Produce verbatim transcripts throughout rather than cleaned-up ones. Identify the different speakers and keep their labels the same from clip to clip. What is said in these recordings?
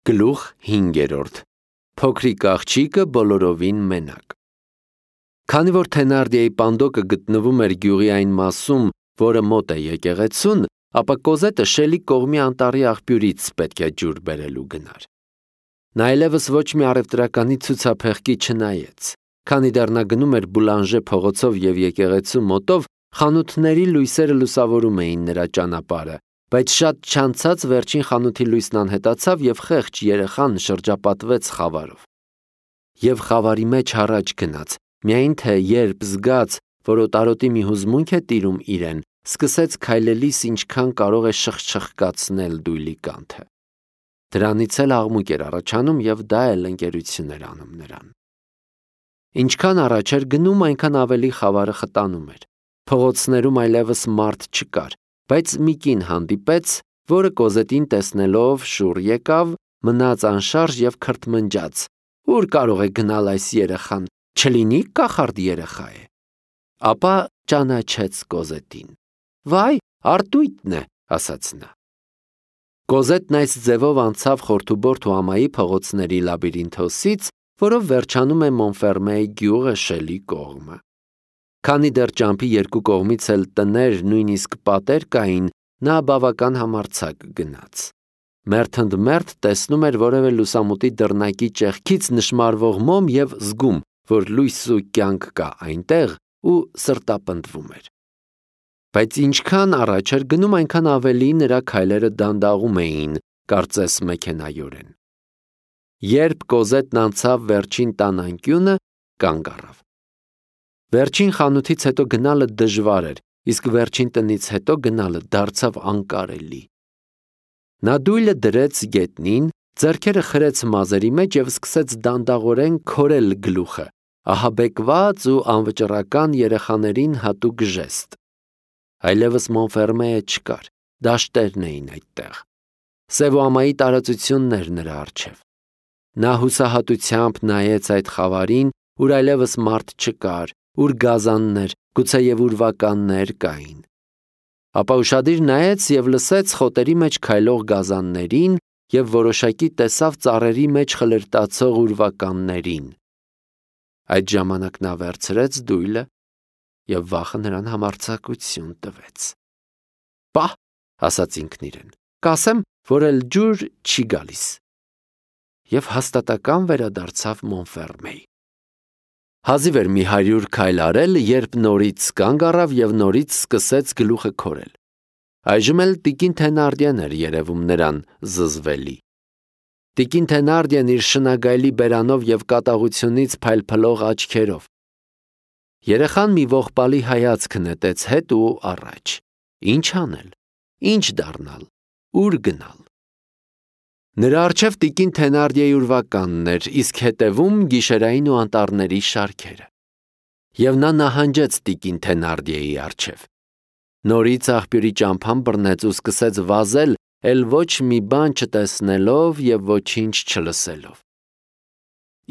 Speaker 1: Գլուխ հինգերորդ. Փոքրիկ աղջիկը բոլորովին մենակ։ Քանի որ Թենարդիեի պանդոկը գտնվում էր գյուղի այն մասում, որը մոտ է եկեղեցուն, ապա Կոզետը Շելի կողմի անտառի աղբյուրից պետք է ջուր բերելու գնար։ Նա այլևս ոչ մի առևտրականի ցուցափեղկի չնայեց, քանի դեռ նա գնում էր Բուլանժե փողոցով և եկեղեցու մոտով, խանութների լույսերը լուսավորում էին նրա ճանապարհը, բայց շատ չանցած վերջին խանութի լույսն անհետացավ և խեղճ երեխան շրջապատվեց խավարով։ Եվ խավարի մեջ առաջ գնաց, միայն թե երբ զգաց, որ օտարոտի մի հուզմունք է տիրում իրեն, սկսեց քայլելիս ինչքան կարող է շխչխկացնել դույլի կանթը։ Դրանից էլ աղմուկ էր առաջանում և դա էլ ընկերություն էր անում նրան։ Ինչքան առաջ էր գնում, այնքան ավելի խավարը խտանում էր։ Փողոցներում այլևս մարդ չկար, բայց մի կին հանդիպեց, որը Կոզետին տեսնելով շուռ եկավ, մնաց անշարժ և քրթմնջաց. «Ուր կարող է գնալ այս երեխան, չլինի կախարդ երեխա է»։ Ապա ճանաչեց Կոզետին։ «Վայ, Արտույտն է», ասաց նա։ Կոզետն այս ձևով անցավ խորթուբորթ ու ամայի փողոցների լաբիրինթոսից, որով վերջանում է Մոնֆերմեի գյուղը Շելի կողմը։ Քանի դեռ ճամփի երկու կողմից էլ տներ, նույնիսկ պատեր կային, նա բավական համարձակ գնաց։ Մերթ ընդ մերթ տեսնում էր որևէ լուսամուտի դռնակի ճեղքից նշմարվող մոմ և զգում, որ լույս ու կյանք կա այնտեղ, ու սրտապնդվում էր։ Բայց ինչքան առաջ էր գնում, այնքան ավելի նրա քայլերը դանդաղում էին, կարծես մեքենայորեն։ Երբ Կոզետն անցավ վերջին տան անկյունը, կանգ առավ։ Վերջին խանութից հետո գնալը դժվար էր, իսկ վերջին տնից հետո գնալը դարձավ անկարելի։ Նա դույլը դրեց գետնին, ձեռքերը խրեց մազերի մեջ և սկսեց դանդաղորեն քորել գլուխը, ահաբեկված ու անվճռական երեխաներին հատուկ ժեստ։ Այլևս Մոնֆերմեը չկար, դաշտերն էին այդտեղ։ Սև ու ամայի տարածությունն էր նրա առջև։ Նա հուսահատությամբ նայեց այդ խավարին, ուր այլևս մարդ չկար, ուր գազաններ, գուցեև ուրվականներ կային։ Ապա ուշադիր նայեց և լսեց խոտերի մեջ քայլող գազաններին և որոշակի տեսավ ծառերի մեջ խլրտացող ուրվականներին։ Այդ ժամանակ նա վերցրեց դույլը և վախը նրան համարձակություն տվեց։ «Պահ», ասաց ինքն իրեն, «կասեմ, որ էլ ջուր չի գալիս»։ Եվ հաստատակամ վերադարձավ Մոնֆերմեի։ Հազիվ էր մի հարյուր քայլ արել, երբ նորից կանգ առավ և նորից սկսեց գլուխը քորել։ Այժմ էլ տիկին Թենարդիեն էր երևում նրան զզվելի։ Տիկին Թենարդիեն իր շնագայլի բերանով և կատաղությունից փայլփլող աչքերով։ Երեխան մի ողբալի հայացք նետեց հետ ու առաջ։ Ինչ անել, ինչ դառնալ, ուր գնալ։ Նրա առջև տիկին Թենարդիեի ուրվականն էր, իսկ հետևում գիշերային ու անտառների շարքերը։ Եվ նա նահանջեց տիկին Թենարդիեի առջև։ Նորից աղբյուրի ճամփան բռնեց ու սկսեց վազել, էլ ոչ մի բան չտեսնելով և ոչինչ չլսելով։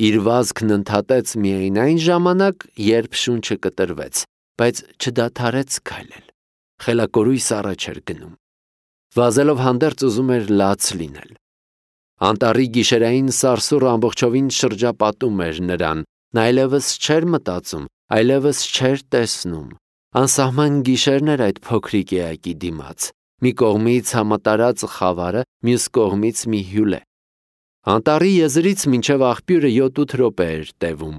Speaker 1: Իր վազքն ընդհատեց միայն այն ժամանակ, երբ շունչը կտրվեց, բայց չդադարեց քայլել։ Խելակորույս առաջ էր գնում։ Վազելով հանդերձ ուզում էր լաց լինել։ Անտառի գիշերային սարսուռը ամբողջովին շրջապատում էր նրան, նա այլևս չէր մտածում, այլևս չէր տեսնում։ Անսահման գիշերն էր այդ փոքրիկ էակի դիմաց։ Մի կողմից համատարած խավարը, մյուս կողմից մի հյուրե։ Անտառի եզրից մինչև աղբյուրը յոթ-ութ րոպե էր տևում։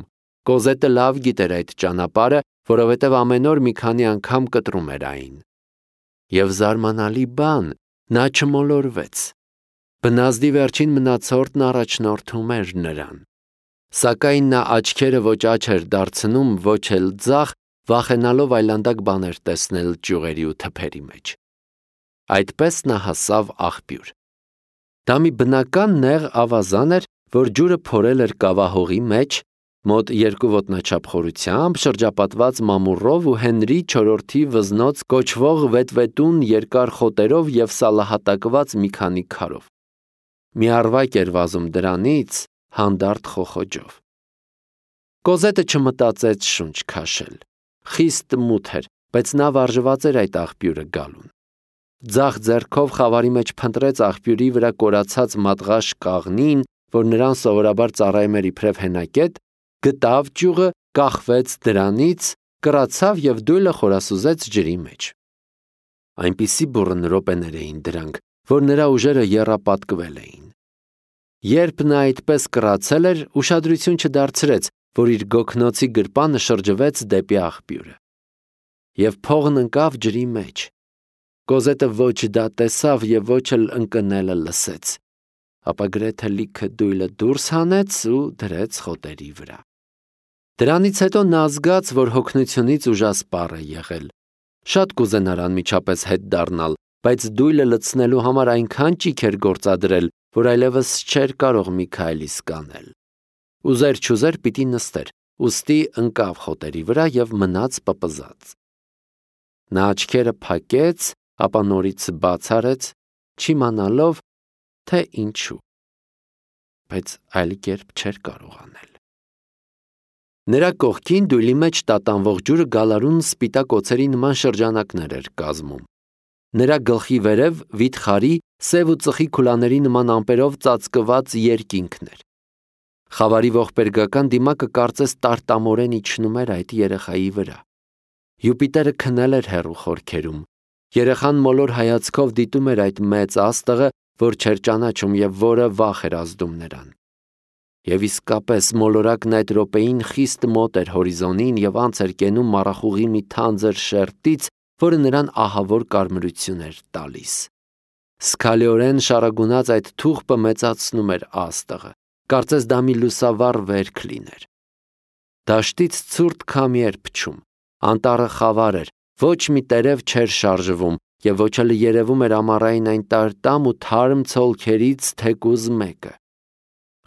Speaker 1: Կոզետը լավ գիտեր այդ ճանապարհը, որովհետև ամեն օր մի քանի անգամ կտրում էր այն։ Եվ զարմանալի բան, նա չմոլորվեց։ Բնազդի վերջին մնացորդն առաջնորդում էր նրան։ Սակայն նա աչքերը ոչ աջ էր դարձնում, ոչ էլ ձախ, վախենալով այլանդակ բաներ տեսնել ճյուղերի ու թփերի մեջ։ Այդպես նա հասավ աղբյուր։ Դա մի բնական նեղ ավազան էր, որ ջուրը փորել էր կավահողի մեջ, մոտ երկու ոտնաչափ խորությամբ, շրջապատված մամուռով ու Հենրի չորրորդի վզնոց կոչվող վետվետուն երկար խոտերով և սալահատակված մի քանի քարով։ Մի առվակ էր վազում դրանից հանդարտ խոխոջով։ Կոզետը չմտածեց շունչ քաշել։ Խիստ մութ էր, բայց նա վարժված էր այդ աղբյուրը գալուն։ Ձախ ձեռքով խավարի մեջ փնտրեց աղբյուրի վրա կորացած մատղաշ կաղնին, որ նրան սովորաբար ծառայում էր իբրև հենակետ, գտավ ճյուղը, կախվեց դրանից, կռացավ և դույլը խորասուզեց ջրի մեջ։ Այնպիսի բուռն րոպեներ էին դրանք, որ նրա ուժերը եռապատկվել էին։ Երբ նա այդպես կռացել էր, ուշադրություն չդարձրեց, որ իր գոգնոցի գրպանը շրջվեց դեպի աղբյուրը։ Եվ փողն ընկավ ջրի մեջ։ Կոզետը ոչ դա տեսավ և ոչ էլ ընկնելը լսեց, ապա գրեթե լիքը դույլը դուրս հանեց ու դրեց խոտերի վրա։ Դրանից հետո նա զգաց, որ հոգնությունից ուժասպառ է եղել։ Շատ կուզենար անմիջապես հետ դառնալ, բայց դույլը լցնելու համար այնքան ճիգ էր գործադրել, որ այլևս չէր կարող մի քայլ իսկ անել։ Ուզեր չուզեր պիտի նստեր, ուստի ընկավ խոտերի վրա և մնաց պպզած։ Նա աչքերը փակեց, ապա նորից բաց արեց, չիմանալով, թե ինչու, բայց այլ կերպ չէր կարող անել։ Նրա կողքին դույլի մեջ տատանվող ջուրը գալարուն սպիտակ օձերի նման շրջանակներ էր կազմում։ Նրա գլխի վերև վիթխարի, սև ու ծխի քուլաների նման ամպերով ծածկված երկինքն էր։ Խավարի ողբերգական դիմակը կարծես տարտամորեն իջնում էր այդ երեխայի վրա։ Յուպիտերը քնել էր հեռու խորքերում։ Երեխան մոլոր հայացքով դիտում էր այդ մեծ աստղը, որ չէր ճանաչում և որը վախ էր ազդում նրան։ Եվ իսկապես մոլորակն այդ րոպեին խիստ մոտ էր հորիզոնին և անց էր կենում մառախուղի մի թանձր շերտից, որը նրան ահավոր կարմրություն էր տալիս։ Զգալիորեն շարագունած այդ թուղթը մեծացնում էր աստղը, կարծես դա մի լուսավառ վերք լիներ։ Դաշտից ցուրտ քամի էր փչում, անտառը խավար էր, ոչ մի տերև չէր շարժվում և ոչ էլ երևում էր ամառային այն տարտամ ու թարմ ցոլքերից թեկուզ մեկը։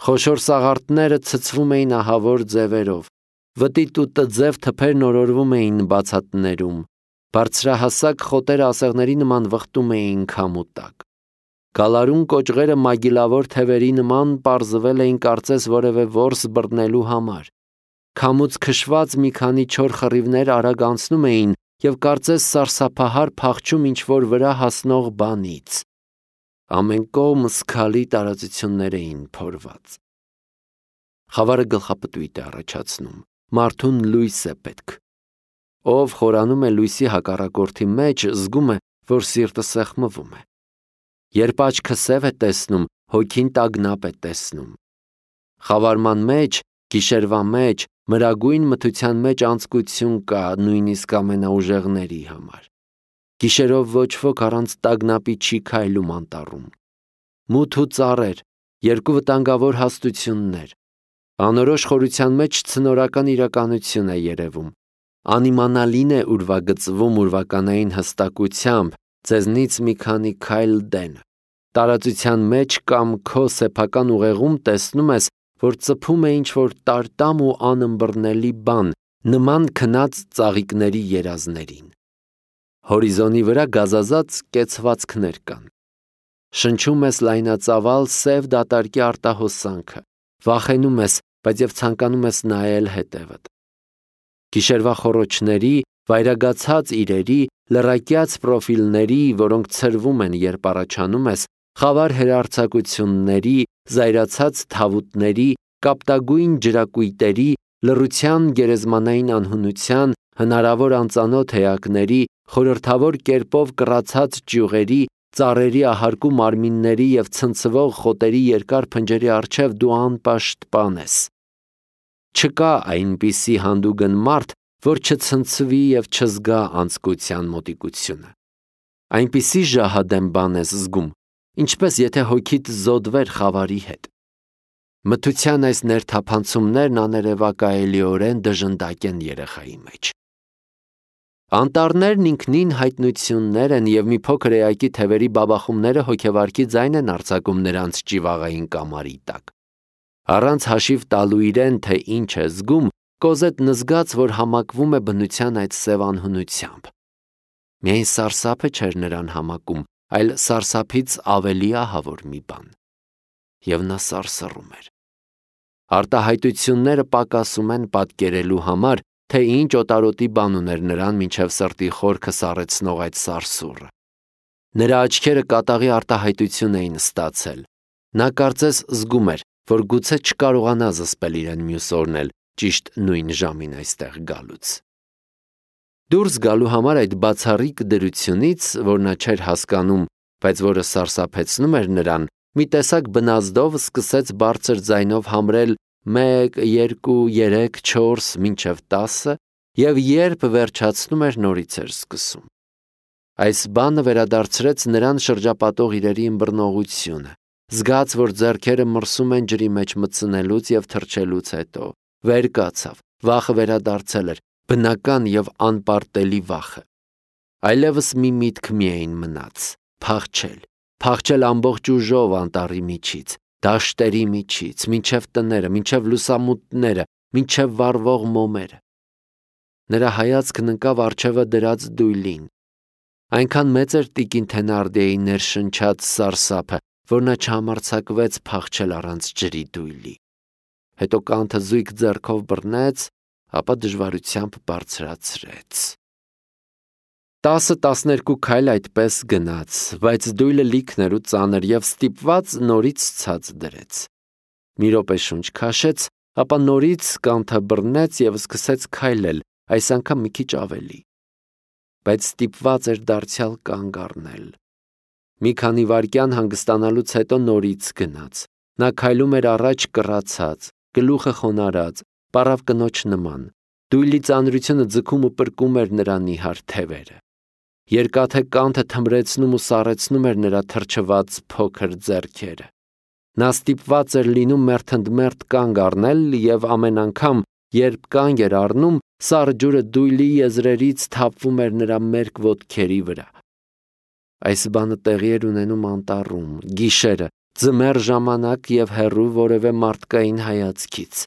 Speaker 1: Խոշոր սաղարթները ցցվում էին ահավոր ձևերով, վտիտ ու տձև թփերն օրորվում էին բացատներում, բարձրահասակ խոտերը ասեղների նման վխտում էին քամու տակ։ Գալարուն կոճղերը մագիլավոր թևերի նման պարզվել էին կարծես որևէ որս բռնելու համար։ Քամուց քշված մի քանի չոր խռիվներ արագ անցնում էին և կարծես սարսափահար փախչում ինչ-որ վրա հասնող բանից։ Ամեն կողմ զգալի տարածություններ էին փորված։ Խավարը գլխապտույտ է առաջացնում, մարդուն լույս է պետք։ Ով խորանում է լույսի հակառակորդի մեջ, զգում է, որ սիրտը սեղմվում է։ Երբ աչքը սև է տեսնում, հոգին տագնապ է տեսնում։ Խավարման մեջ, գիշերվա մեջ, մրագույն մթության մեջ անձկություն կա նույնիսկ ամենաուժեղների համար։ Գիշերով ոչ ոք առանց տագնապի չի քայլում անտառում։ Մութ ու ծառեր, երկու վտանգավոր հաստություններ։ Անորոշ խորության մեջ ցնորական իրականություն է երևում։ Անիմանալին է ուրվագծվում ուրվականային հստակությամբ, ձեզնից մի քանի քայլ դեն։ Տարածության մեջ կամ քո սեփական ուղեղում տեսնում ես, որ ծփում է ինչ-որ տարտամ ու անըմբռնելի բան, նման քնած ծաղիկների երազներին։ Հորիզոնի վրա գազազած կեցվածքներ կան։ Շնչում ես լայնածավալ սև դատարկի արտահոսանքը, վախենում ես, բայց և ցանկանում ես նայել հետևդ։ Գիշերվա խոռոչների, վայրագացած իրերի, լռակյաց պրոֆիլների, որոնք ցրվում են, երբ առաջանում ես, խավար հեռարձակությունների, զայրացած թավուտների, կապտագույն ջրակույտերի, լռության գերեզմանային անհունության, հնարավոր անծանոթ էակների, խորհրդավոր կերպով կռացած ճյուղերի, ծառերի ահարկու մարմինների և ցնցվող խոտերի երկար փնջերի առջև դու անպաշտպան ես։ Չկա այնպիսի հանդուգն մարդ, որ չցնցվի և չզգա անձկության մոտիկությունը։ Այնպիսի ժահադեմ բան ես զգում, ինչպես եթե հոգիդ զոդվեր խավարի հետ։ Մթության այս ներթափանցումներն աներևակայելիորեն դժնդակ են երեխայի մեջ։ Անտառներն ինքնին հայտնություններ են և մի փոքր էակի թևերի բաբախումները հոգեվարքի ձայն են արձակում նրանց ճիվաղային կամարի տակ։ Առանց հաշիվ տալու իրեն, թե ինչ է զգում, Կոզետն զգաց, որ համակվում է բնության այդ սև անհունությամբ։ Միայն սարսափը չէր նրան համակում, այլ սարսափից ավելի ահավոր մի բան։ Եվ նա սարսռում էր։ Արտահայտությունները պակասում են պատկերելու համար, թե ինչ օտարոտի բան ուներ նրան մինչև սրտի խորքը սառեցնող այդ սարսուռը։ Նրա աչքերը կատաղի արտահայտություն էին ստացել։ Նա կարծես զգում էր, որ գուցե չկարողանա զսպել իրեն մյուս օրն էլ ճիշտ նույն ժամին այստեղ գալուց։ Դուրս գալու համար այդ բացառիկ դրությունից, որ նա չէր հասկանում, բայց որը սարսափեցնում էր նրան, մի տեսակ բնազդով սկսեց բարձր ձայնով համրել մեկ, երկու, երեք, չորս, մինչև տասը, և երբ վերջացնում էր, նորից էր սկսում։ Այս բանը վերադարձրեց նրան շրջապատող իրերի ըմբռնողությունը, զգաց, որ ձեռքերը մրսում են ջրի մեջ մտցնելուց և թռչելուց հետո, վեր կացավ, վախը վերադարձել էր, բնական և անպարտելի վախը։ Այլևս մի միտք միայն մնաց՝ փախչել, փախչել ամբողջ ուժով անտառի միջից, դաշտերի միջից, մինչև տները, մինչև լուսամուտները, մինչև վառվող մոմերը։ Նրա հայացքն ընկավ առջևը դրած դույլին։ Այնքան մեծ էր տիկին Թենարդիեի ներշնչած սարսափը, որ նա չհամարձակվեց փախչել առանց ջրի դույլի։ Հետո կանթը զույգ ձեռքով բռնեց, ապա դժվարությամբ բարձրացրեց։ Տասը տասներկու քայլ այդպես գնաց, բայց դույլը լիքն էր ու ծանր և ստիպված նորից ցած դրեց։ Մի րոպե շունչ քաշեց, ապա նորից կանթը բռնեց և սկսեց քայլել, այս անգամ մի քիչ ավելի։ Բայց ստիպված էր դարձյալ կանգ առնել։ Մի քանի վայրկյան հանգստանալուց հետո նորից գնաց։ Նա քայլում էր առաջ կռացած, գլուխը խոնարհած, պառավ կնոջ նման։ Դույլի ծանրությունը ձգում ու պրկում էր նրա նիհար թևերը։ Երկաթե կանթը թմրեցնում ու սառեցնում էր նրա թրջված փոքր ձեռքերը։ Նա ստիպված էր լինում մերթընդմերթ կանգ առնել և ամեն անգամ, երբ կանգ էր առնում, սառը ջուրը դույլի եզրերից թափվում էր նրա մերկ ոտքերի վրա։ Այս բանը տեղի էր ունենում անտառում, գիշերը, ձմեռ ժամանակ և հեռու որևէ մարդկային հայացքից։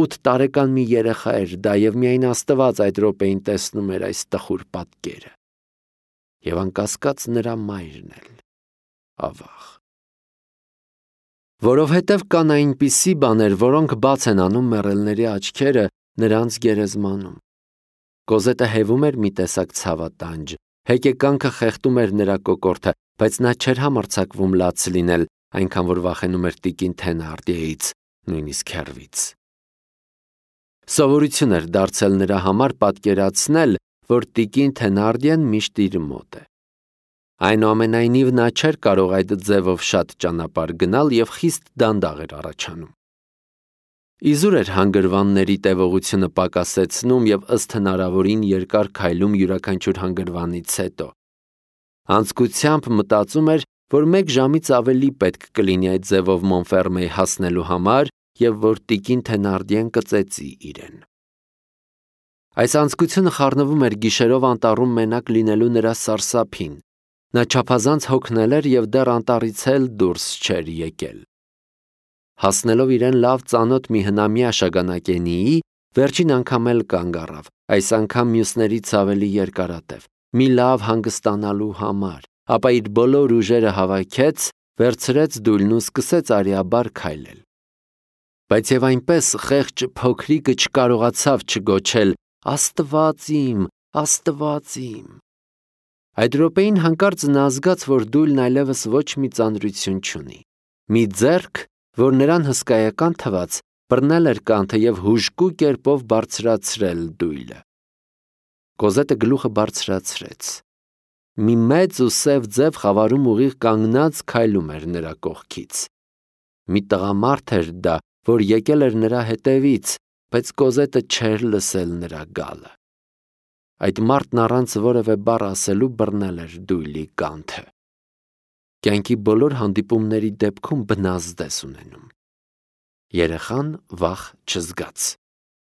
Speaker 1: Ութ տարեկան մի երեխա էր դա և միայն Աստված այդ րոպեին տեսնում էր այս տխուր պատկերը։ Եվ անկասկած նրա մայրն էլ, ավաղ։ Որովհետև կան այնպիսի բաներ, որոնք բաց են անում մեռելների աչքերը նրանց գերեզմանում։ Կոզետը հևում էր մի տեսակ ցավատանջ, հեկեկանքը խեղդում էր նրա կոկորդը, բայց նա չէր համարձակվում լաց լինել, այնքան որ վախենում էր տիկին Թենարդիեից, նույնիսկ հեռվից։ Սովորություն էր դարձել նրա համար պատկերացնել, որ տիկին Թենարդիեն միշտ իր մոտ է։ Այնուամենայնիվ նա չէր կարող այդ ձևով շատ ճանապարհ գնալ և խիստ դանդաղ էր առաջանում։ Իզուր էր հանգրվանների տևողությունը պակասեցնում և ըստ հնարավորին երկար քայլում յուրաքանչյուր հանգրվանից հետո։ Անձկությամբ մտածում էր, որ մեկ ժամից ավելի պետք կլինի այդ ձևով Մոնֆերմեի հասնելու համար և որ տիկին Թենարդիեն կծեծի իրեն։ Այս անձկությունը խառնվում էր գիշերով անտառում մենակ լինելու նրա սարսափին։ Նա չափազանց հոգնել էր և դեռ անտառից էլ դուրս չէր եկել։ Հասնելով իրեն լավ ծանոթ մի հնամյա շագանակենիի, վերջին անգամ էլ կանգ առավ, այս անգամ մյուսներից ավելի երկարատև, մի լավ հանգստանալու համար, ապա իր բոլոր ուժերը հավաքեց, վերցրեց դույլն ու սկսեց արիաբար քայլել։ Բայց և այնպես խեղճ փոքրիկը չկարողացավ չգոչել. «Աստված իմ, Աստված իմ»։ Այդ րոպեին հանկարծ նա զգաց, որ դույլն այլևս ոչ մի ծանրություն չունի։ Մի ձեռք, որ նրան հսկայական թվաց, բռնել էր կանթը և հուժկու կերպով բարձրացրել դույլը։ Կոզետը գլուխը բարձրացրեց։ Մի մեծ ու սև ձև խավարում ուղիղ կանգնած քայլում էր նրա կողքից։ Մի տղամարդ էր դա, որ եկել էր նրա հետևից, բայց Կոզետը չէր լսել նրա գալը։ Այդ մարդն առանց որևէ բառ ասելու բռնել էր դույլի կանթը։ Կյանքի բոլոր հանդիպումների դեպքում բնազդ ես ունենում։ Երեխան վախ չզգաց։